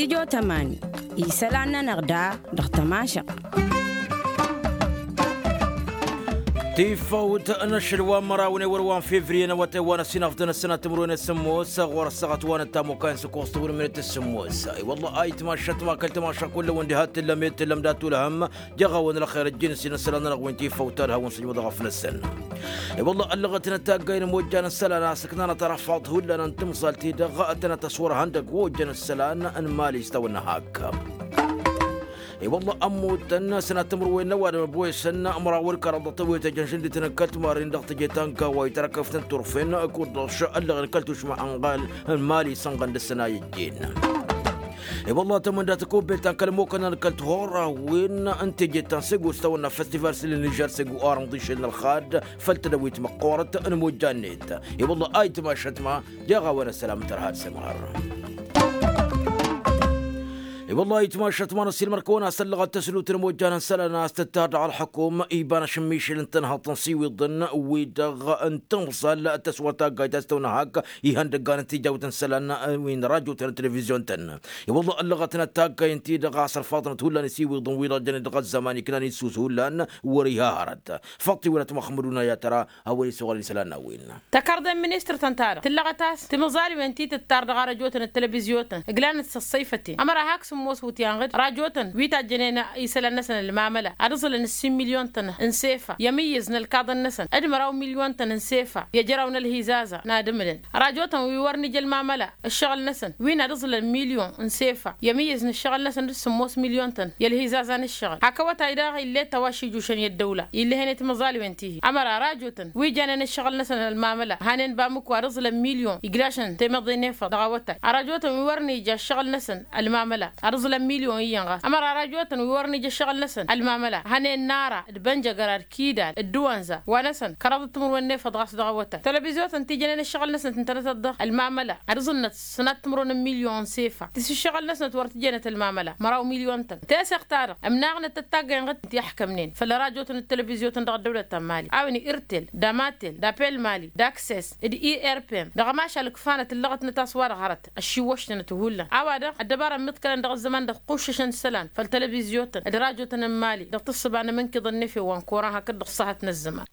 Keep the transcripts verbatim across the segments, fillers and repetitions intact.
Ijotămani isălan-nănăɣ da dăɣ-tămašăɣt. Tifăwt n-ašăl wa n-măraw n-ewăr wa n-fevriye n-awătay wa n-ăsinăfḍăn ăssănat timǝrwen s-sǝmmos ɣur-ăssaɣăt wa n-ăttamukay n-săkoẓ tăwrǝmnet s-sǝmmos. I-wălla a itmašăt ma kăl-tamaša kull-ăwăn diha t-tǝllăm i-tǝllăm dat-ulhăm. Jaɣ-awăn ălxer ăjjǝn s-inǝssălan-nănăɣ wi n-tifăwt ad-hawăn-sǝjmăḍ ɣăf-năsăn. I-wălla ăllăɣăt n-ătaggay n-imojjan n-isălan a-s ǝknan ad-tărăffaḍ hullan n-timẓalt-i-dăɣ ad-tănăt-ăswărhăn dăgg-wojjan n-isălan n-imali s-tawănna hak. I-wălla ămmutăn sănat timǝrwen n-ăwadǝm ăbwesăn ămăraw wăr-kăraḍ dăɣ-tewăyt ăjăn žăndităn n-kăl-timarren dăɣ-teje ta n-gawa i-tărăkăft n-turfen kud-dăɣ š-ăllăɣen kăl-tušma ănɣal n-imali sănɣăn dăr-săn a ijjin. I-wălla tămănda tăkobbelt ta n-kăl-ămmukăn n-kăl-tihorrawen n-teje ta n-sego s-tawănna festival s-ǝlǝn ižar sego arănḍ išel n-ălxad făll-tedăwit măqqoorăt n-imojjan-net. I-wălla a itmašăt ma jaɣ-a-wen ăssălam n-tărha d-sămhăr. I-wălla a itmašăt ma n-ăssiilmăr-kăwăn a-s ăllăɣăt tăslut n-imojjan n-isălan a-s tǝttar dăɣ-ălxukum iba n-ašǝmmišel n-tănhăḍt n-isiwiḍăn wi-dăɣ n-timẓal tăswăr taggayt a-s tăwănna hak ihăndăggan n-tijawt n-isălan wi n-rajotăn n-televizyon-tăn. I-wălla ăllăɣăt n-ătaggay ǝnta-i-dăɣ a-s ărfaḍnăt hullan isiwiḍăn wi-dăɣ jănen dăɣ-ăzzăman iknan issus hullan wăr-iha hărăt. Făṭṭ-iwănăt măxmăduna i-ad-tăra a-wen isuɣălăn isălan n-a-wen. Tăkarḍe n-ministăr-tăn-ta-dăɣ tǝllăɣăt a-s timẓal-wen ti tǝttar dăɣ-arăjotăn d-televizyon-tăn ǝglanăt s-ăṣṣăyfăten ămăra hak sǝmmos wǝtyan ɣǝd rajotăn wi tajjănen isălan-năsăn ălmamăla ad-ǝẓǝlăn ǝssin milyon-tăn n-sefa i-amǝyyǝz n-ălkaḍăn-năsăn d-măraw milyon-tăn n-sefa i-ejăraw n-ălhizaza n-ad-ǝmǝlăn rajotăn wi wăr nǝja ălmamăla ǝššăɣǝl-năsăn win ad-ǝẓǝlăn milyon n-sefa i-amǝyyǝz n-ǝššăɣǝl-năsăn d-sǝmmos milyon-tăn i-ălhizaza n-ǝššăɣǝl hak awătay daɣ ill'-e tăwašijjušăn i-ăddăwla illăhen i-timẓalwen tihi ămăra rajotăn wi janen ǝššăɣǝl-năsăn ălmamăla hanen bamǝku ad-ǝẓǝlăn milyon iglašăn temeḍe n-efăḍ dăɣ-awătay arajotăn wi wăr nǝja ǝššăɣǝl-năsăn ălmamăla ad-ǝẓǝlăn milyon iyyăn ɣas ămăra rajotăn wi wăr nǝja ǝššăɣǝl-năsăn ălmamăla hanen n-ara d-bănjăgăra d-kidal d-tiwănza wa-năsăn kăraḍăt timǝrwen n-efăḍ ɣas dăɣ-awătay televizyon-tăn ti jănen ǝššăɣǝl-năsnăt ǝntănăt-ăḍḍăh ălmamăla ad-ǝẓǝnnăt sănat timǝrwen n-milyon n-sefa ti s-ǝššăɣǝl-năsnăt wăr tǝjănăt ălmamăla măraw milyon-tăn teseɣt-ta-dăɣ ămnaɣnăt tăttaggayen ɣǝd ti ăḥkămnen făll-rajotăn d-televizyon-tăn dăɣ-ăddăwlăt ta n-mali a-wen irtel d-amatel d-apel mali d-akses d-irpem dăɣ-ămašal ǝkfanăt ǝllăɣătnăt a-s wa-dăɣ hărăt ăššiwwăštănăt hullan a-wa-dăɣ ăddăbara ămmiḍkălăn dăɣ-ăzzăman dăɣ-kuššăšăn isălan făll-televizyon-tăn d-rajotăn n-mali dăɣ-tǝssǝba n-amǝnkǝḍ n-efew wa n-koran hakd dăɣ-săhăt n-ăzzăman.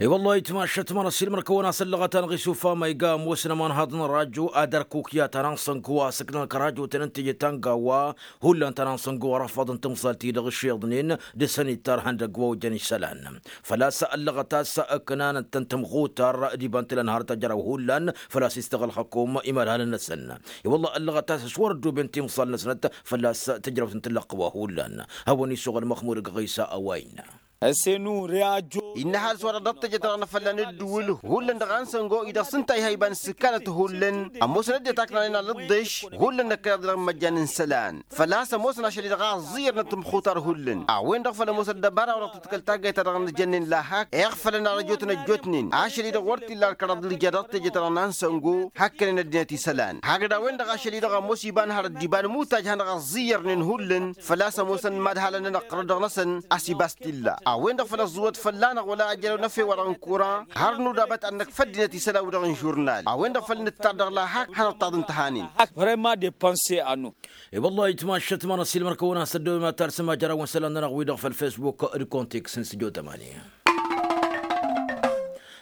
I-wăllah itmašăt ma n-ăssiilmăr-kăwăn a-s ăllăɣăt anɣis ufama iga ămoosăn ămanhaḍ n-ărrajo ad-ărkuk i-ad-tana n-sănku a-s ǝknăn kărajotăn n-teje ta n-gawa hullan tana n-sănku ărăfaḍ n-timẓalt-i-dăɣ ǝššeḍnen dăr-săn ittar ihăndăgg wa ojăn isălan. Făl-a-s ăllăɣăt a-s ǝknanăt-tăn tămxutar d-iba n-tǝlăn harăt ajăraw hullan făl-a-s istăɣǝl xăkum imadhalăn-năsăn. I-wăllah ăllăɣăt a-s s-wăr-ăddooben timẓal-năsnăt făl-a-s tǝjrăwt n-tǝllăɣt wa hullan. Hawăn-isuɣǝl măxmud ăgg ɣisa a-wa innă. Ăssenun reajo innă ăhalǝs wa-dăɣ dăɣ-teje-ta-dăɣ n-afălla n-ăddǝwǝl hullan dăɣ-a n-săngo i-dăɣ s-ǝnta iha iba n-ǝssǝkkanăt hullan ămoosăn ăddinăt a ǝknanen alǝḍḍeš hullan năkkăneḍ-i dăɣ-imăjjan n-isălan. Făl-a-s ămoosăn ašăl-i-dăɣ a ăẓẓiyyărnăt tǝmxutar hullan a-wen-dăɣ făl ămoos ăddăbara wa dăɣ-tǝḍkăl taggayt-ta-dăɣ n-ijănnen la hak iɣfălăn arăjotăn ăjjootnen ašăl-i-dăɣ wăr t-illa ărkăraḍ ǝlǝja dăɣ-teje-ta-dăɣ n-a n-săngo hakkănen ăddinăt isălan hakd a-wen-dăɣ ašăl-i-dăɣ ămoos iba n-hărăt d-iba n-imutaj han-dăɣ ăẓẓiyyărnen hullan. Făl-a-s ămoosăn imadhalăn n-ănăqqărăd-dăɣ-năsăn a-s iba a-s t-illa a-wen-dăɣ făl ăẓẓuwăt fălla-năɣ wăla ajărew n-efew-wa-dăɣ n-kuran har nudabăt ad-năkf ăddinăt isălan wi-dăɣ n-žurnal a-wen-dăɣ făl nǝttar dăɣ-lahak hanăṭṭaḍ ǝnta hanen. Vrăyma depanse a-nu. I-wăllah itmašăt ma n-ăssiilmăr-kăwăn a-s ăddooy ma talsăm ajăraw n-isălan-nănăɣ wi-dăɣ făll-facebook d-kontiks n-sijotămani.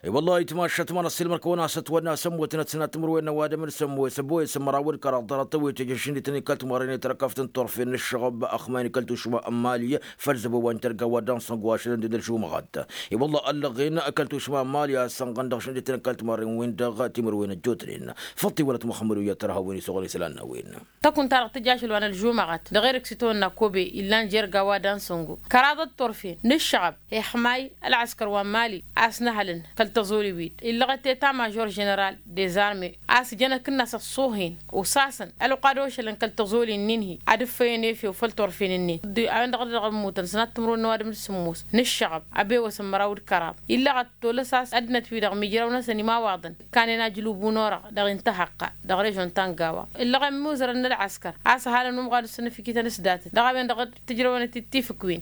I-wăllah itmašăt ma n-ăssiilmăr-kăwăn a-s ătwănna s-ămmutnăt sănat timǝrwen n-ăwadǝm d-sămmos ăboyăs ămăraw d-kăraḍ dăr-tăwwet ejăšăn d-tăn-ikalt mărrăynet răkăft n-turfen n-ǝššăɣăb ăxmayăn kăl-tušma n-mali făll-zăbo wa n-tărga wa dansăn gwašălăn d-ălžumăɣăt. I-wăllah ăllăɣen kăl-tušma n-mali a sănɣăn dăɣ-šăn d-tăn-ikalt mărrăynet wi-dăɣ timǝrwen ăjjootnen. Făṭṭ-iwălăt muxămmăd uyyăt tărha wen isuɣǝl isălan n-a-wen. Tăkunt-ta-dăɣ tǝja ašăl wa n-ălžumăɣăt dăɣ-erk s-itawănna kobe illan jerga wa dansăn go kăraḍăt turfen n-ǝššăɣăb ixmay ălɣăskăr wa n-mali a-s nǝhălăn kăl-tăẓoli-wi-dd illăɣăt eta mažor ženeral dezarme a-s jăn akǝnnas ăṣṣuhin osasăn ălqad ošălăn kăl-tăẓoli-nin-hi ad-ǝffăyăn efew făll-turfen-nin a-wen-dăɣ a dăɣ-ămmutăn sănat timǝrwen n-ăwadǝm d-sǝmmos n-ǝššăɣăb ăbewăs n-măraw d-kăraḍ illăɣăt tolăs a-s ăddinăt-wi-dăɣ mijraw-năsăn imawwaḍăn ǝkkanen ajlubu n-orăɣ dăɣ-intăhăqqa dăɣ-režon ta n-gawa ǝllăɣen imuzărăn n-ălɣăskăr a-s ăhalăn umɣad s-ănăfikităn s-datăt dăɣ-a-wen-dăɣ tǝjrăwăn-t-dd tifǝkwen.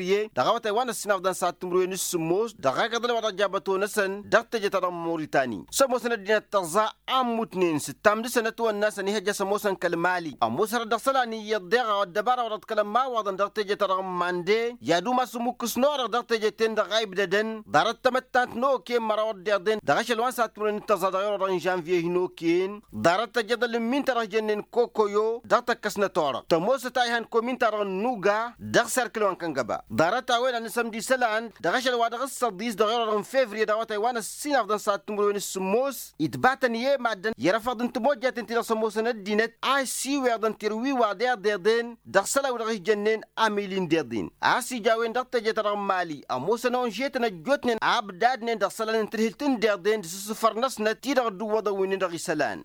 fevriye dăɣ-awătay wa n-ăssinafḍăn s-ad-timǝrwen s-sǝmmos dăɣ-agǝḍăl wa dăɣ-jabbăt-on-năsăn dăɣ-teje-ta-dăɣ n-moritanǝy. S-ămoosăn ăddinăt tărẓa a ǝmmutnen s-ǝttam dăɣ-săn ătwănna-săn ihăjja s-ămoosăn kăl-mali ămoos hărăt dăɣ-isălan iyyăḍ deɣ a-wa ăddăbara wa dăɣ-t kăl-ămmawaḍăn dăɣ-teje-ta-dăɣ n-mande i-ad-umas ǝmmukǝsnu-a-wa-dăɣ dăɣ-teje-ten-dăɣ a ibdădăn ḍarăt tamăttant n-oke n-măraw ăddiḍen dăɣ-ašăl wa n-s-ad-timǝrwen d-tărẓa dăɣ-ewăr-wa-dăɣ n-žănviye hin-oken ḍarăt tăjjăḍăl n-min-ta-dăɣ jănnen kokoyo. tăkkăs n-atorăɣ tămoosăt a ihăn komin-ta-dăɣ n-nuga dăɣ-serkǝl wa n-kăngăba. Ḍarăt-a-wen ad-nǝsămd isălan dăɣ-ašăl wa dăɣ-s săḍis dăɣ-erăḍ n-fevriye dăɣ-awătay wa n-ăssinafḍăn s-ad-timǝrwen s-sǝmmos itbatăn i-e-maddǝn i-erăfăḍ n-timojjaten-ti-dăɣ s-ămoosăn ăddinăt a ăsiweḍăn tirǝwiwa d-iḍeḍen dăɣ-isălan wi-dăɣ ijănnen amili n-deḍ-in a-s ija a-wen dăɣ-teje-ta-dăɣ n-mali ămoosăn onžetăn ăjjootnen abdadnen dăɣ-isălan n-tǝdhǝlt n-deḍen d-asǝssǝfăr-năsnăt-i-dăɣ ădduwwăḍăn wi-nin-dăɣ isălan.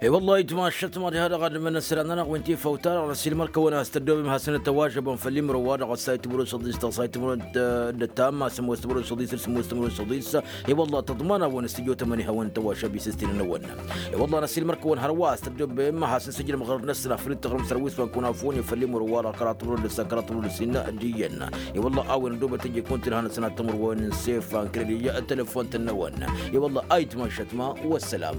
E-wălla-hi ǝjmaššăt ma diha-dăɣ ad-ǝmmǝnăn isălan-nănăɣ wi n-tifawt-ta-dăɣ năssiilmăr-kăwăn a-s tăddoobem hasăn-ătwăžăbăn făll-imrǝw-wa-dăɣ ăssay timǝrwen săḍis dăɣ-ăssay timǝrwen d-ǝttam a-s ămoos timǝrwen săḍis d-sǝmmos timǝrwen săḍis. E-wălla-hi tăḍman a-wen s-tǝjotămăn ihawăn tăwăšăb isǝstinăn-wăn. E-wălla-hi năssiilmăr-kăwăn hărwa a-s tăddoobem hasăn-sǝjrǝm ɣărăt-năsăn afăl dd-tăɣrǝm sărwis wa n-kănafoni făll-imrǝw-wa-dăɣ kăraḍ timǝrwen d-ǝssa kăraḍ timǝrwen d-ǝssin d-iyyăn. E-wălla-hi a-wen ăddoobăt ăjjek wăn-t-ǝlhanăsăn ad-tămărwăn n-sefan kălăl iyyă telefon-tăn-năwăn. E-wălla-hi a itmašăt ma wăssălam.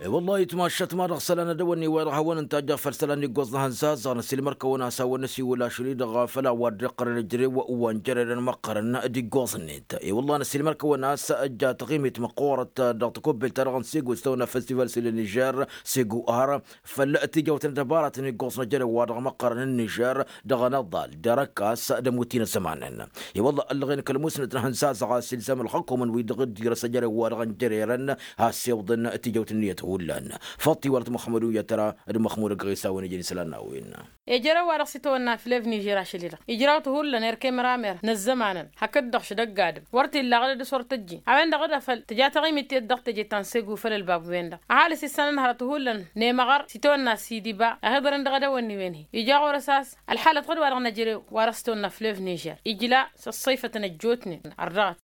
E-wălla-hi itmašăt ma dăɣ-isălan ad-dăwănni wa dăɣ-hawăn-ǝnta ajjăɣ făll-isălan iggoẓ n-ehăn zazăɣ năsiilmăr-kăwăn a-s hawăn-năsiwǝl ašăl-i-dăɣ făll-a-wa dd-iqqărăn ǝjrew wa n-jărerăn măqqărăn d-iggoẓ-net. E-wălla-hi năsiilmăr-kăwăn a-s ǝjja taɣimit măqqoorăt dăɣ-takobbelt-ta-dăɣ n-segu s-tawănna festival s-ila nižer segu ar făll-tijawt n-ăddăbaratăn iggoẓ n-ejărew wa dăɣ-măqqărăn n-nižer dăɣ-anăḍal d-arăkkas d-ămutin ăzzămanen. I-wălla ăllăɣen kăl-musnăt n-ehăn zazăɣ a-s ilzam ălxăkumăn wi-dăɣ dd-irăs ejărew wa dăɣ-n jărerăn has-iwǝḍăn tijawt n-iyyăt hullan. Făṭṭi wăr t-măxmădu i-ad-tăra d-măxmud ăgg-ɣisa a-wen ijăn isălan n-a-wen. Ejărew wa dăɣ-s itawănna flev nižer ašăl-i-dăɣ ijraw-t hullan erk i-măramer n-ăzzămanăn hakd-dăɣ šădăgg adǝm wăr t-illa aɣǝd ad-dăɣ-s wăr tăjjin a-wen-dăɣ d-afăl tǝja taɣimit-i-dd dăɣ-teje ta n-segu făll-ălbab-wen-dăɣ. Ăhalǝs issanăn hărăt hullan nemăɣăr s-itawănna sidiba a hi-ḍărăn dăɣ-edăwănni-wen hi-ija ɣur-s a-s ălxalăt ɣǝd-wa-dăɣ n-ejărew wa dăɣ-s tawănna flev nižer ijla s-ăṣṣăyfătăn ăjjootnen ărdăɣăt.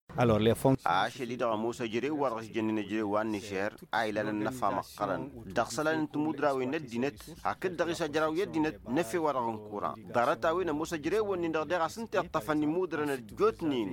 Ašăl-i-dăɣ ămoos ejărew wa dăɣ-s jănnen ejărew wa n-nižer a ilalăn ănnăfa măqqărăn dăɣ-isălan n-timudrawen n-ăddinăt hakd-dăɣ-s ajraw i-ăddinăt n-efew wa dăɣ-n kura. Ḍarăt-a-wen ămoos ejărew-nin-dăɣ deɣ a-s ǝnta iṭṭăfăn imudrăn ăjjootnen.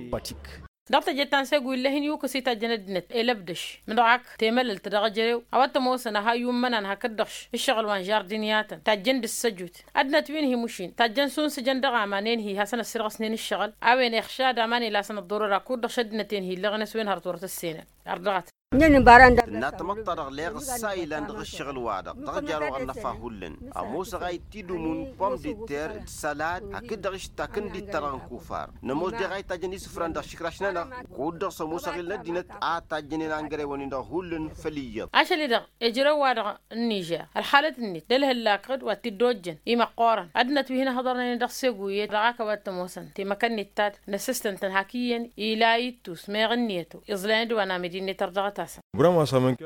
Dăɣ-teje ta n-segu ill'-e hin-yukǝs itajjăn ăddinăt elăbdăš mdăɣ-ak temălălt dăɣ-ejărew a-wa t-ămoosăn a ha iyyummănan hakd-dăɣ š-ǝššăɣǝl wa n-žardiniyatăn tajjăn d-ǝssăjut. Ăddinăt wi n-hi-mušin tajjăn sunsǝjăn dăɣ-aman-en-hi hasăn-ăssirɣăsnen ǝššăɣǝl a-wen ixšad aman ilasăn ăḍḍurăr akud-dăɣ šăddinăt-en-hi ǝllăɣăn s-wen hărăt wăr tăssenen. Ărdăɣăt. Tǝnna tamăḍt-ta-dăɣ leɣ ǝssa ilan dăɣ-ǝššăɣǝl-wa-dăɣ dăɣ-jarăɣ ănnăfa hullan. Ămoosăɣ a ittidǝmun pom-d-ter d-sălad hakd-dăɣ ištak n-dittărăɣ n-kufar. Nămoos deɣ a itajjăn isǝfran dăɣ-išǝkraš-nănăɣ. Kud-dăɣ s-ămoos aɣil n-ăddinăt a tajjănen angărew-nin-dăɣ hullan făll-iyyăḍ. Ašăl-i-dăɣ ejărew-wa-dăɣ n-nižer ălxalăt-net d-ălhǝllak d-wa t-dd-ojjăn imăqqoorăn ăddinăt wi hin-ăhḍărnen dăɣ-segu iyyăt dăɣ-ak a-wa t-ămoosăn temăkăn-net ta-dăɣ n-ăssistăn-tăn hak iyyăn ila ittus meɣ ǝnniyăt-o iẓlayăn d-wa n-amidi-net ărdăɣăt-asăn.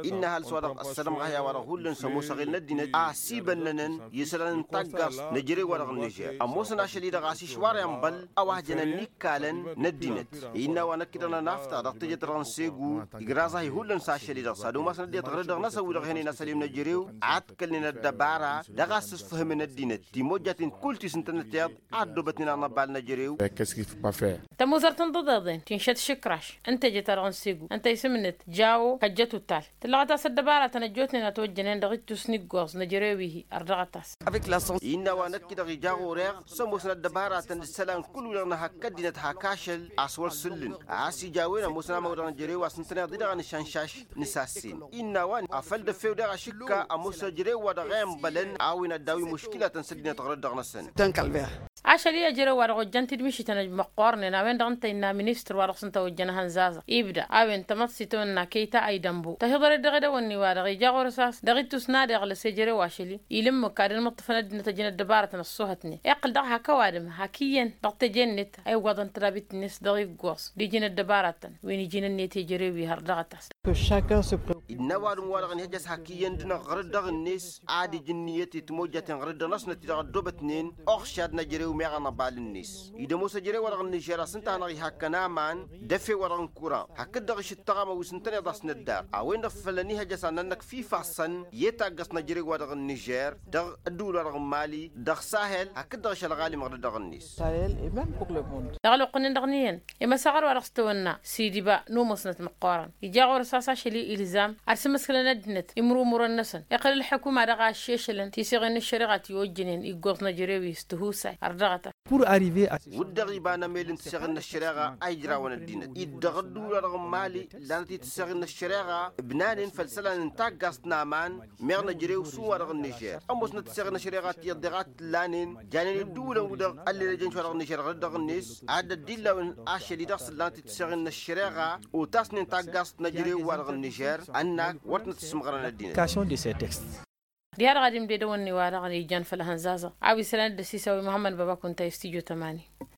Innă ăhalǝs-wa-dăɣ ăssălămɣăhăy a-wa-dăɣ hullan s-ămoos aɣil n-ăddinăt a ăsibănnănăn i-isălan n-taggaẓt n-ejărew-wa-dăɣ n-nižer ămoosăn ašăl-i-dăɣ a-s išwar i-ănbăl a-wa hăjănăn n-ikkalăn n-ăddinăt. Innă a-wa năkk-i-dăɣ nănafta dăɣ-teje-ta-dăɣ n-segu igraẓ-ahi hullan s-ašăl-i-dăɣ s-ad-umasăn ăddinăt ɣăr-dd-dăɣ-năsăn wi-dăɣ ihănen asăl-i n-ejărew a ǝtkălnen ăddăbara dăɣ-a ǝssǝsfǝhǝmăn ăddinăt timojjaten kull ti s-ǝntănăteḍ a ăddoobătnen anăbal n-ejărew. Tămuzărt n-iḍeḍen tinšăt išǝkraš n-teje-ta-dăɣ n-segu ǝnta isǝm-net jawo kăjjăt utal tǝllăɣăt-as ăddăbaratăn ăjjootnen a tojjănen dăɣ-ittus n-iggoẓ n-ejărew-i-hi ărdăɣăt-as. Innă a-wa năkk-i-dăɣ ija ɣur-eɣ s-ămoosăn ăddăbaratăn d-isălan kull-wi-dăɣ nǝhăkk ăddinăt hak ašăl a-s wăr sǝllǝn a-s ija a-wen ămoosăn amăwdăɣ n-ejărew a-s ǝntăneḍ-i-dăɣ anǝšanšaš n-isassen. Innă a-wa afăl d-efew daɣ ašǝkka ămoos ejărew-wa-dăɣ i-ănbălăn a-wen ad-daw-i muškilatăn s-ăddinăt ɣur-dd-dăɣ-năsăn. Ašăl-i ejărew-wa-dăɣ ojjăn-t-dd mišităn măqqoornen a-wen-dăɣ ǝnta innă ministăr wa dăɣ-s ǝnta ojjăn ehăn zazăɣ ibda a-wen tamăḍt s-itawănna kăy-ta a idănbu tahǝḍăret dăɣ-edăwănni-wa-dăɣ ija ɣur-s a-s dăɣ-ittus n-ad-iɣlăs ejărew ašăl-i ila ǝmmǝk ad-ănmǝṭṭǝfăn ăddinăt ăjăn ăddăbarătăn ăṣṣuhătnen iqqǝl daɣ hak ăwadǝm hak iyyăn dăɣ-teje-net a iwwăḍăn tădabit-net dăɣ-iggoẓ d-iji n-ăddăbarătăn wi n-iji n-ǝnniyăt i-ejărew-i har dăɣ-ătas. Innă ăwadǝm-wa-dăɣ ănhăjăs hak iyyăn d-inăɣ ɣăr-dd dăɣ-net ad-ija ǝnniyăt i-timojjaten ɣăr-dd dăɣ-năsnăt-i-dăɣ ăddoobătnen oxšad n-ejărew meɣ anăbal-net. Id-ămoos ejărew-wa-dăɣ n-nižer a-s ǝnta a hanăɣ-ihakk ănaman d-efew-wa-dăɣ n-kura hakd-dăɣ išǝttăɣ amăwis ǝntăneḍ a-s năddar a-wen-dăɣ făl ănihăjăs ad-nănnăkf ifassăn i-taggăẓt n-ejărew-wa-dăɣ n-nižer dăɣ-ădduul-wa-dăɣ n-mali dăɣ-sahel hakd-dăɣ ašăl ɣalim ɣăr-dd dăɣ-net. Dăɣ-ălwăqq-nin-dăɣ n-iyyăn i-măsaɣăr-wa-dăɣ s-tawănna sidiba n-umusnăt măqqoorăn ija ɣur-s a-s ašăl-i ilzam ad-sǝmǝskǝlăn ăddinăt imrumurăn-năsăn iqqǝl ǝlḥǝkuma dăɣ-aššešălăn tiseɣen n-ăššăriɣa ti ojjănen iggoẓ n-ejărew-i s-tihusay. Dăɣ-ta. Pur arriver a. Wǝdden iba n-emel n-tiseɣin n-ăššăreɣa a ijrawăn ăddinăt-i-dd dăɣ-ădduul-wa-dăɣ n-imali. Lanăt-i tiseɣin n-ăššăreɣa ǝbnanen făll-isălan n-taggaẓt n-aman meɣ n-ejărew s-un-wa-dăɣ n-nižer. Ămoosnăt tiseɣin n-ăššăreɣa ti ăḍḍeɣ a t-ǝllanen janen ădduulăn-wi-dăɣ ăllelăjăn šwa dăɣ-nižer ɣărăt dăɣ-net ad-dd-illawăn ašăl-i-dăɣ s-ǝllanăt-dd tiseɣin n-ăššăreɣa otasnen taggaẓt n-ejărew-wa-dăɣ n-nižer. Ănnak wăr t-năt-ǝssǝmɣărăn ăddinăt. Diha-dăɣ ad-imdedăwăn-ni-wa-dăɣ n-ijan făll-ehăn zaza a-wa isălan dd-ăsisăwăy muhămmăd băbakun ta i-studyo tămani.